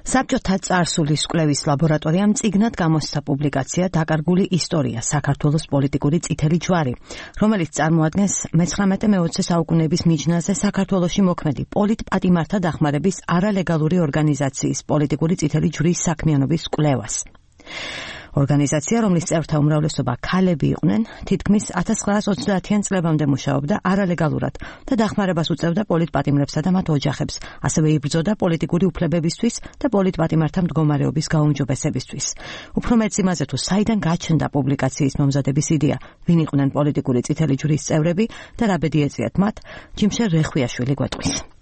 საბჭოთა წარსულის კვლევის ლაბორატორიამ წიგნად გამოსცა პუბლიკაცია „დაკარგული ისტორია საქართველოს პოლიტიკური წითელი ჯვარი“, რომელიც წარმოადგენს მე-19-20 საუკუნეების მიჯნაზე საქართველოში მოქმედი პოლიტპატიმართა დახმარების არალეგალური ორგანიზაციის პოლიტიკური წითელი ჯვრის საქმიანობის კვლევას. ორგანიზაცია, რომლის წევრთა უმრავლესობა ქალები იყვნენ, თითქმის 1930-იან წლებამდე მუშაობდა არალეგალურად და დახმარებას უწევდა პოლიტპატიმრებსა და მათ ოჯახებს, ასევე იბრძოდა პოლიტიკური უფლებებისთვის და პოლიტპატიმართა მდგომარეობის გაუმჯობესებისთვის. უფრო მეტ იმაზე, თუ საიდან გაჩნდა პუბლიკაციის მომზადების იდეა, ვინ იყვნენ პოლიტიკური წითელი ჯვრის წევრები და რა ბედი ეწიათ მათ, ჯიმშე რეხვიაშვილი გვეტყვის.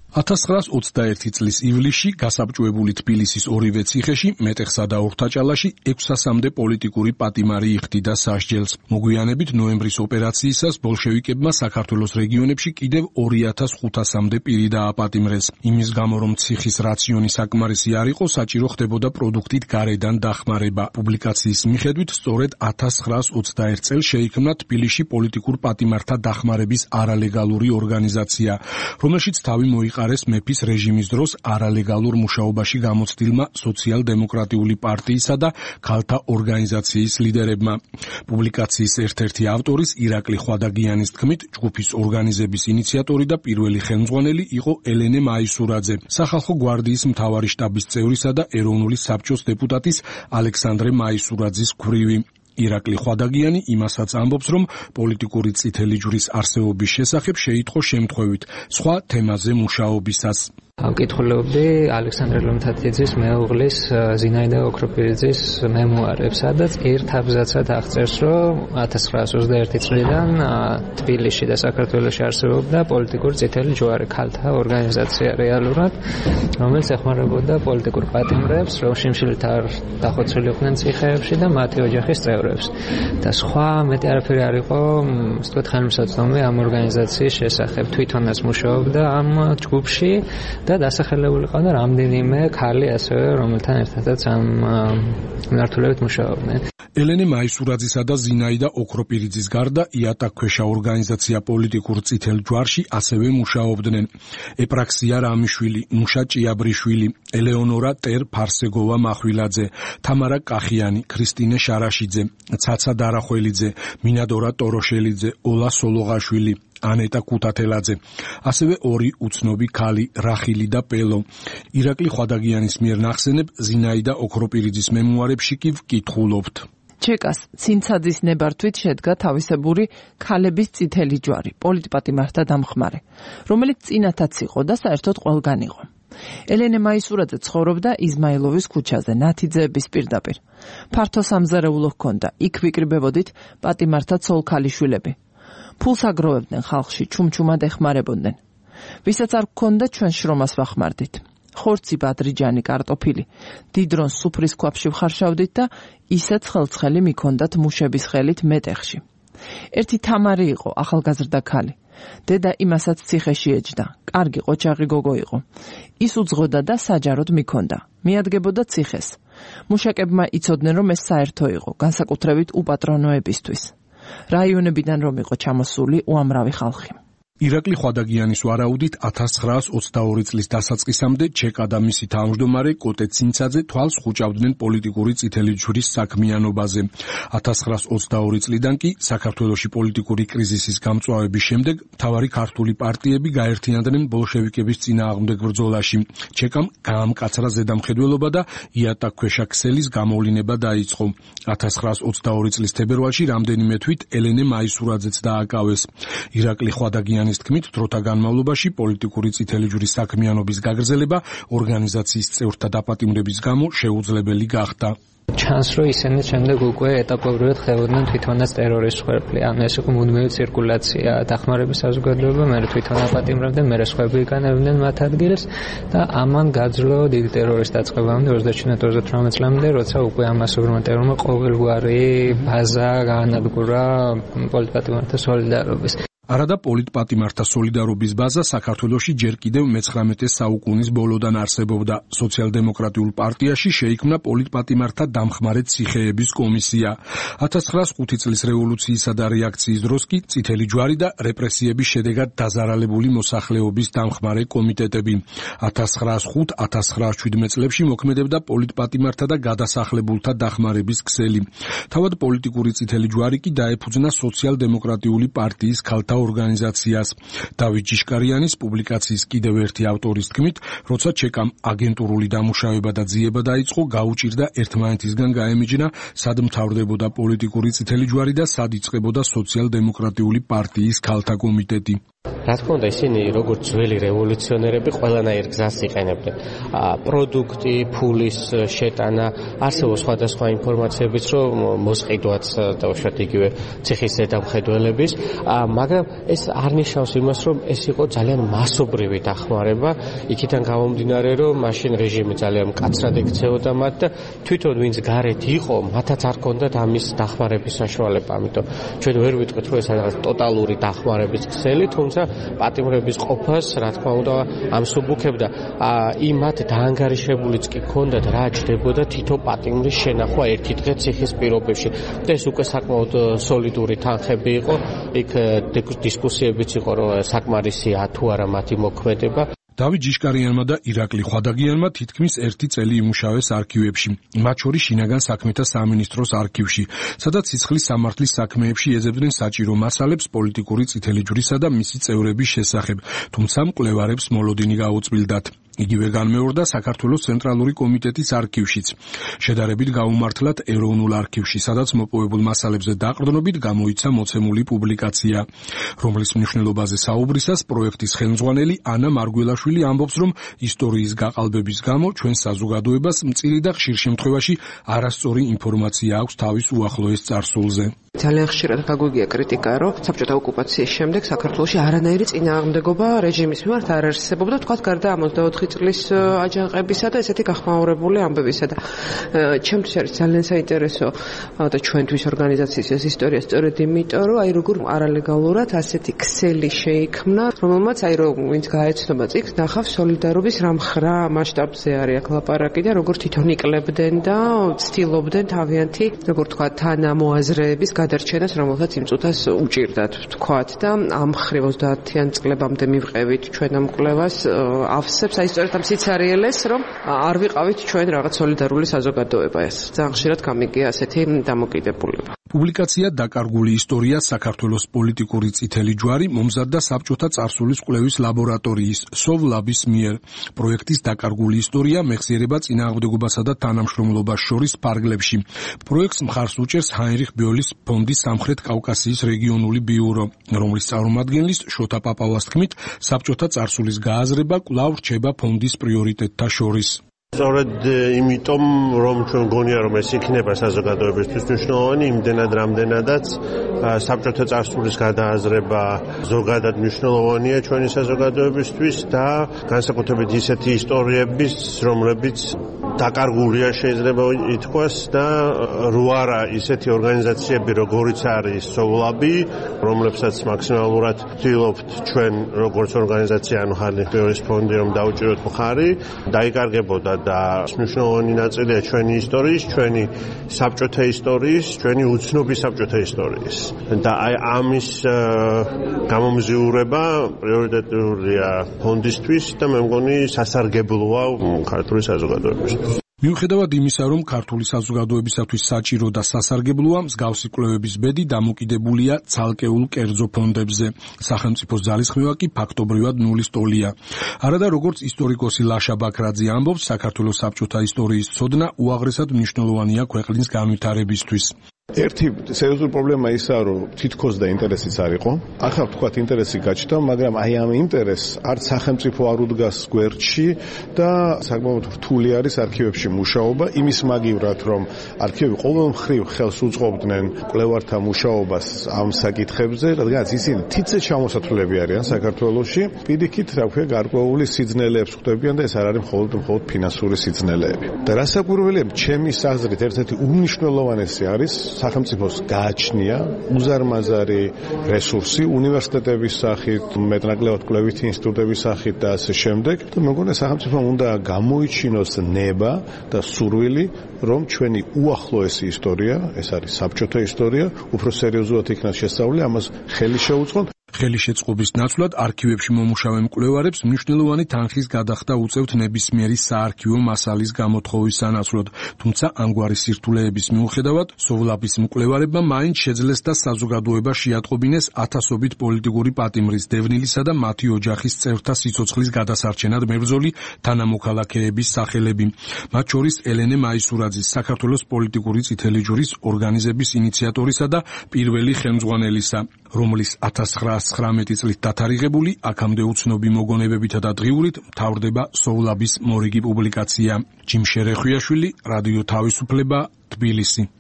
1921 წლის ივლისში გასაბჭოებული თბილისის ორივე ციხეში, მეტეხსა და ორთაჭალაში 600-მდე პოლიტიკური პატიმარი იხდიდა სასჯელს. მოგვიანებით ნოემბრის ოპერაციისას ბოლშევიკებმა საქართველოს რეგიონებში კიდევ 2500-მდე პირი დააპატიმრეს. იმის გამო, რომ ციხის რაციონი საკმარისი არ იყო, საჭირო ხდებოდა პროდუქტით გარედან დახმარება. პუბლიკაციის მიხედვით, სწორედ 1921 წელს შეიქმნა თბილისში პოლიტიკურ პატიმართა დახმარების არალეგალური ორგანიზაცია, რომელშიც თავი მოიყარეს მეფის რეჟიმის დროს არალეგალურ მუშაობაში გამოცდილმა სოციალ-დემოკრატიული პარტიისა და ქალთა ორგანიზაციის ლიდერებმა. პუბლიკაციის ერთ-ერთი ავტორის ირაკლი ხვადაგიანის თქმით, ჯგუფის ორგანიზების ინიციატორი და პირველი ხელმძღვანელი იყო ელენე მაისურაძე, სახალხო გვარდიის მთავარი შტაბის წევრისა და ეროვნული საბჭოს დეპუტატის ალექსანდრე მაისურაძის ქვრივი. ირაკლი ხვადაგიანი იმასაც ამბობს, რომ პოლიტიკური წითელი ჯვრის არსებობის შესახებ შეიტყო შემთხვევით, სხვა თემაზე მუშაობისას. ვკითხულობდი ალექსანდრე ლომთათიძის მეუღლის ზინაიდა ოქროპირიძის მემუარებს, სადაც ერთ აბზაცად აღწერს, რომ 1921 წლიდან თბილისში და საქართველოში არსებობდა პოლიტიკური წითელი ჯვარი, ქალთა ორგანიზაცია რეალურად, რომელიც ეხმარებოდა პოლიტიკურ პატიმრებს, რომ შიმშილით არ დახოცვილიყვნენ ციხეებში და მათი ოჯახის წევრებს. და სხვა მეტი არაფერი არ იყო, ასე ვთქვათ, ხელმისაწვდომი ამ ორგანიზაციის შესახებ. თვითონაც მუშაობდა ამ ჯგუფში და დასახელებული ყავდა რამდენიმე ქალი ასევე, რომელთან ერთადაც ამ მიმართულებით მუშაობდნენ. ელენე მაისურაძისა და ზინაიდა ოქროპირიძის გარდა იატაკქვეშა ორგანიზაცია პოლიტიკურ წითელ ჯვარში ასევე მუშაობდნენ. ეპრაქსია რამიშვილი, ნუშა ჭიაბრიშვილი, ელეონორა ტერ-ფარსეგოვა მახვილაძე, თამარა კახიანი, ქრისტინე შარაშიძე, ცაცა დარახველიძე, მინადორა ტოროშელიძე, ოლა სოლოღაშვილი, ანეტა კუთათელაძე, ასევე ორი უცნობი ქალი რახილი და პელო. ირაკლი ხვადაგიანის მიერ ნახსენებ ზინაიდა ოქროპირიძის მემუარებში კი ვკითხულობთ. ჩეკას ცინცაძის ნებართვით შედგა თავისებური ქალების წითელი ჯვარი, პოლიტპატიმართა დამხმარე, რომელიც წინათაც იყო და საერთოდ ყველგან იყო. ელენე მაისურაძე ცხოვრობდა იზმაილოვის ქუჩაზე, ნათიძეების პირდაპირ. ფართო სამზარეულო ჰქონდა, იქ ვიკრიბებოდით პატიმართა ცოლ-ქალიშვილები. ფულს აგროვებდნენ ხალხში, ჩუმჩუმად ეხმარებოდნენ. ვისაც არ გქონდა, ჩვენ შრომას ვახმარდით. ხორცი, ბადრიჯანი, კარტოფილი. დიდრონს სუფრის ქვაბში ვხარშავდით და ისეც ხელცხელი მიქონდათ მუშების ხელით მეტეხში. ერთი თამარი იყო, ახალგაზრდა ქალი. დედა იმასაც ციხეში ეჯდა. კარგი ყოჩაღი გოგო იყო. ის უძღოდა და საჯაროდ მიქონდა. მიადგებოდა ციხეს. მუშაკებმა იცოდნენ, რომ ეს საერთო იყო, განსაკუთრებით უპატრონოებისთვის. რაიონებიდან რომ იყო ჩამოსული უამრავი ხალხი. ირაკლი ხვადაგიანის ვარაუდით 1922 წლის დასაწყისამდე ჩეკა და მისი თავმჯდომარე კოტე ცინცაძე თვალს ხუჭავდნენ პოლიტიკური წითელი ჯვრის საქმიანობაზე. 1922 წლიდან კი საქართველოში პოლიტიკური კრიზისის გამწვავების შემდეგ მთავარი ქართული პარტიები გაერთიანდნენ ბოლშევიკების წინააღმდეგ ბრძოლაში. ჩეკამ გაამკაცრა ზედამხედველობა და იატაკქვეშა ქსელის გამოვლინება დაიწყო. 1922 წლის თებერვალში რამდენიმე თვით ელენე მაისურაძეც დააკავეს. ირაკლი ხვადაგიანი თქმით, დროთა განმავლობაში პოლიტიკური წითელი ჯვრის საქმიანობის გაგრძელება ორგანიზაციის წევრთა დაპატიმრების გამო შეუძლებელი გახდა. ჩანს, რომ ისინი შემდეგ უკვე ეტაპობრივად ხდებოდნენ თვითონაც ტერორისტ ხერხი. ანუ ეს იყო მუდმივი ცირკულაცია, დახმარების საზოგადოება, მე თვითონ აპატიმრებდნენ, მე სხვები იკანებდნენ მათ ადგილს და ამან გაძლო დიდი ტერორისტ დაწყებამდე 29-38 წლამდე, როცა უკვე ამ მასობრივმა ტერორმა ყოველგვარი ბაზა გაანადგურა პოლიტპატიმართა სოლიდარობის. არადა პოლიტპატიმართა სოლიდარობის ბაზა საქართველოში ჯერ კიდევ მე-19 საუკუნის ბოლოდან არსებობდა. სოციალ-დემოკრატიულ პარტიაში შეიქმნა პოლიტპატიმართა დამხმარე ციხეების კომისია. 1905 წლის რევოლუციისა და რეაქციის დროს კი წითელი ჯვარი და რეპრესიების შედეგად დაზარალებული მოსახლეობის დამხმარე კომიტეტები. 1905-1917 წლებში მოქმედებდა პოლიტპატიმართა და გადასახლებულთა დახმარების ქსელი. თავად პოლიტიკური წითელი ჯვარი კი დაეფუძნა სოციალ-დემოკრატიული პარტიის ქალთა ორგანიზაციას. დავით ჯიშკარიანის პუბლიკაციის კიდევ ერთი ავტორის თქმით, როცა ჩეკამ აგენტურული დამუშავება და ძიება დაიწყო, გაუჭირდა ერთმანეთისგან გაემიჯნა, სად მთავრდებოდა პოლიტიკური წითელი ჯვარი და სად იწყებოდა სოციალ-დემოკრატიული პარტიის ქალთა კომიტეტი. რა თქმა უნდა, ისინი როგორც ძველი რევოლუციონერები ყველანაირ გზას იყენებდნენ. პროდუქტი, ფულის შეტანა, არსებობს სხვადასხვა ინფორმაციებიც, რომ მოსყიდვაც დავუშვათ იგივე ციხის ზედამხედველების, მაგრამ ეს არ ნიშნავს იმას, რომ ეს იყო ძალიან მასობრივი დახმარება, იქიდან გამომდინარე, რომ მაშინ რეჟიმი ძალიან მკაცრად ექცეოდა მათ და თვითონ ვინც გარეთ იყო, მათაც არ ჰქონდათ ამის დახმარების საშუალება, ამიტომ ჩვენ ვერ ვიტყვით, რომ ეს რაღაც ტოტალური დახმარების ქსელი, თუმცა პატიმრების ყოფას, რა თქმა უნდა, ამსუბუქებდა. იმათ დაანგარიშებულიც კი ჰქონდათ, რა ჯდებოდა თითო პატიმრის შენახვა ერთი დღე ციხის პირობებში. და ეს უკვე საკმაოდ სოლიდური თანხები იყო. იქ დისკუსიებიც იყო, რომ საკმარისია თუ არა მათი მოქმედება. დავით ჯიშკარიანმა და ირაკლი ხვადაგიანმა თითქმის 1 წელი იმუშავეს არქივებში, მათ შორის შინაგან საქმეთა სამინისტროს არქივში, სადაც სიცხლის სამართლის საქმეებში ეძებდნენ საჭირო მასალებს პოლიტიკური წითელი ჯვრისა და მისი წევრების შესახებ, თუმცა მკვლევარებს მოლოდინი გაუწმილდათ. იგივე განმეორდა საქართველოს ცენტრალური კომიტეტის არქივშიც. შედარებით გაუმართლად ეროვნულ არქივში, სადაც მოპოვებულ მასალებზე დაყრდნობით გამოიცა მოცემული პუბლიკაცია, რომლის მნიშვნელობაზე საუბრისას პროექტის ხელმძღვანელი ანა მარგველაშვილი ამბობს, რომ ისტორიის გაყალბების გამო ჩვენ საზოგადოებას მწირი და ხშირ შემთხვევაში არასწორი ინფორმაცია აქვს თავის უახლოეს წარსულზე. ძალიან ხშირად გაგვიგია კრიტიკა, რომ საბჭოთა ოკუპაციის შემდეგ საქართველოში არანაირი წინააღმდეგობა რეჟიმის მიმართ არ არსებობდა, თქვათ გარდა 24 წლის აჯანყებისა და ესეთი გახმაურებული ამბებისა და ჩემთვის არის ძალიან საინტერესო და ჩვენთვის ორგანიზაციის ეს ისტორია სწორედ იმიტომ, რომ აი როგორ არალეგალურად ასეთი ქსელი შეიქმნა, რომელმაც აი რომ ვინც გაეცნობა წიგნს, ნახავს სოლიდარობის რა მხრა მასშტაბზე არის აქ ლაპარაკი და როგორ თვითონ იკლებდნენ და ცდილობდნენ თავიანთი, როგორ თქვა, თანამოაზრეების გადარჩენას, რომელსაც იმ წუთას უჭირდათ, თქვათ და ამ ხრივ 30-იან წლებამდე მივყევით ჩვენ ამ კვლევას ავსებს, აი სწორედ ამ სიცარიელეს, რომ არ ვიყავით ჩვენ რაღაც სოლიდარული საზოგადოება. ეს ძალიან ხშირად გამიგია ასეთი დამოკიდებულება. პუბლიკაცია „დაკარგული ისტორია საქართველოს პოლიტიკური წითელი ჯვარი“ მომზადდა საბჭოთა წარსულის კვლევის ლაბორატორიის სოვლაბის მიერ. პროექტის „დაკარგული ისტორია“ მეხსიერება წინააღმდეგობასა და თანამშრომლობას შორის ფარგლებში. პროექტს მხარს უჭერს ჰაინრიხ ბიოლის ფონდის სამხრეთ კავკასიის რეგიონული ბიურო, რომლის წარმომადგენლის შოთა პაპავას თქმით, საბჭოთა წარსულის გააზრება კვლავ რჩება ფონდის პრიორიტეტთა შორის. სწორედ იმიტომ, რომ ჩვენ გონია, რომ ეს იქნება საზოგადოებისთვის მნიშვნელოვანი, იმდენად რამდენადაც საბჭოთა წარსულის გადააზრება ზოგადად მნიშვნელოვანია ჩვენი საზოგადოებისთვის და განსაკუთრებით ისეთი ისტორიების, რომლებიც დაკარგულია შეიძლება ითქვას და რო არა ისეთი ორგანიზაციები, როგორიც არის სოვლაბი, რომლებსაც მაქსიმალურად ვცდილობთ ჩვენ როგორც ორგანიზაცია, ანუ ჰაინრიხ ბიოლის ფონდი, რომ დაუჭიროთ მხარი, დაიკარგებოდა და მნიშვნელოვანი ნაწილია ჩვენი ისტორიის, ჩვენი საბჭოთა ისტორიის, ჩვენი უცნობი საბჭოთა ისტორიის. და აი ამის გამომზიურება პრიორიტეტულია ფონდისთვის და მე მგონი სასარგებლოა ქართული საზოგადოებისთვის. მიუხედავად იმისა, რომ ქართული საზოგადოებისათვის საჭირო და სასარგებლოა, მსგავსი კვლევების ბედი დამოკიდებულია ცალკეულ კერძო ფონდებზე. სახელმწიფოს ძალისხმევა კი ფაქტობრივად ნულის ტოლია. არადა როგორც ისტორიკოსი ლაშა ბაქრაძე ამბობს, საქართველოს საბჭოთა ისტორიის ცოდნა უაღრესად მნიშვნელოვანია ქვეყნის განვითარებისთვის. ერთი სერიოზული პრობლემა ისაა, რომ თითქოს და ინტერესიც არ იყო. ახლა ვთქვათ ინტერესი გაჩნდა, მაგრამ აი ამ ინტერესს არც სახელმწიფო არ უდგას გვერდში და საკმაოდ რთული არის არქივებში მუშაობა, იმის მაგივრად, რომ არქივები ყოველ მხრივ ხელს უწყობდნენ კვლევართა მუშაობას ამ საკითხებზე, რადგანაც ისინი თითზე ჩამოსათვლელები არიან საქართველოში, პირიქით, რა ქვია, გარკვეული სიძნელეებს ხვდებიან და ეს არ არის მხოლოდ ფინანსური სიძნელეები. და რასაკვირველია, ჩემი აზრით, ერთ-ერთი უმნიშვნელოვანესი არის სახელმწიფოს გააჩნია უზარმაზარი რესურსი უნივერსიტეტების სახით, მეტნაკლებად კვლევითი ინსტიტუტების სახით და ასე შემდეგ. და მე მგონია სახელმწიფომ უნდა გამოიჩინოს ნება და სურვილი, რომ ჩვენი უახლოესი ისტორია, ეს არის საბჭოთა ისტორია, უფრო სერიოზულად იქნას შესწავლილი, ამას ხელი შეუწყონ. ხელი შეწყობის ნაცვლად არქივებში მომუშავე მკვლევარებს მნიშვნელოვანი თანხის გადახდა უწევთ ნებისმიერი საარქივო მასალის გამოთხოვის სანაცვლოდ, თუმცა ამგვარი სირთულეების მიუხედავად, სოვლაბის მკვლევარებმა მაინც შეძლეს და საზოგადოება შეატყობინეს ათასობით პოლიტიკური პატიმრის დევნილისა და მათი ოჯახის წევრთა სიცოცხლის გადასარჩენად მებრძოლი თანამოქალაქეების სახელები. მათ შორის ელენე მაისურაძის, საქართველოს პოლიტიკური წითელი ჯვრის ორგანიზების ინიციატორისა და პირველი ხელმძღვანელისა, რომლის 1919 წლით დათარიღებული, აქამდე უცნობი მოგონებებითა და დღიურით მთავრდება სოვლაბის მორიგი პუბლიკაცია. ჯიმ შერეხვიაშვილი, რადიო თავისუფლება, თბილისი.